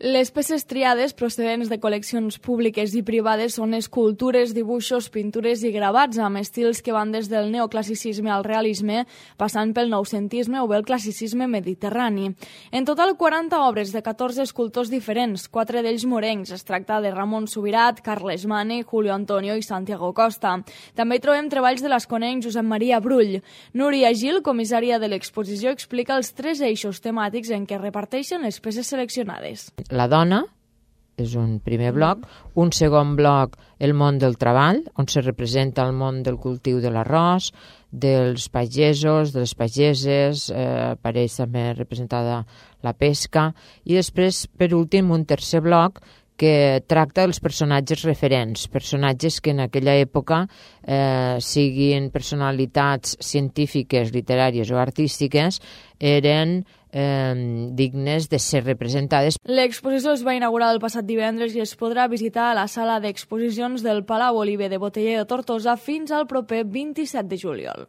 Les peces triades procedents de col·leccions públiques i privades són escultures, dibuixos, pintures i gravats amb estils que van des del neoclassicisme al realisme, passant pel noucentisme o bé el classicisme mediterrani. En total, 40 obres de 14 escultors diferents, 4 d'ells morencs. Es tracta de Ramon Subirat, Carles Mane, Julio Antonio i Santiago Costa. També hi trobem treballs de l'esconenc Josep Maria Brull. Núria Gil, comissària de l'exposició, explica els 3 eixos temàtics en què reparteixen les peces seleccionades. La dona és un primer bloc, un segon bloc, el món del treball, on se representa el món del cultiu de l'arròs, dels pagesos, de les pageses, apareix també representada la pesca, i després, per últim, un tercer bloc que tracta dels personatges referents, personatges que en aquella època siguin personalitats científiques, literàries o artístiques, eren dignes de ser representades. L'exposició es va inaugurar el passat divendres i es podrà visitar a la sala d'exposicions del Palau Oliver de Boteller de Tortosa fins al proper 27 de juliol.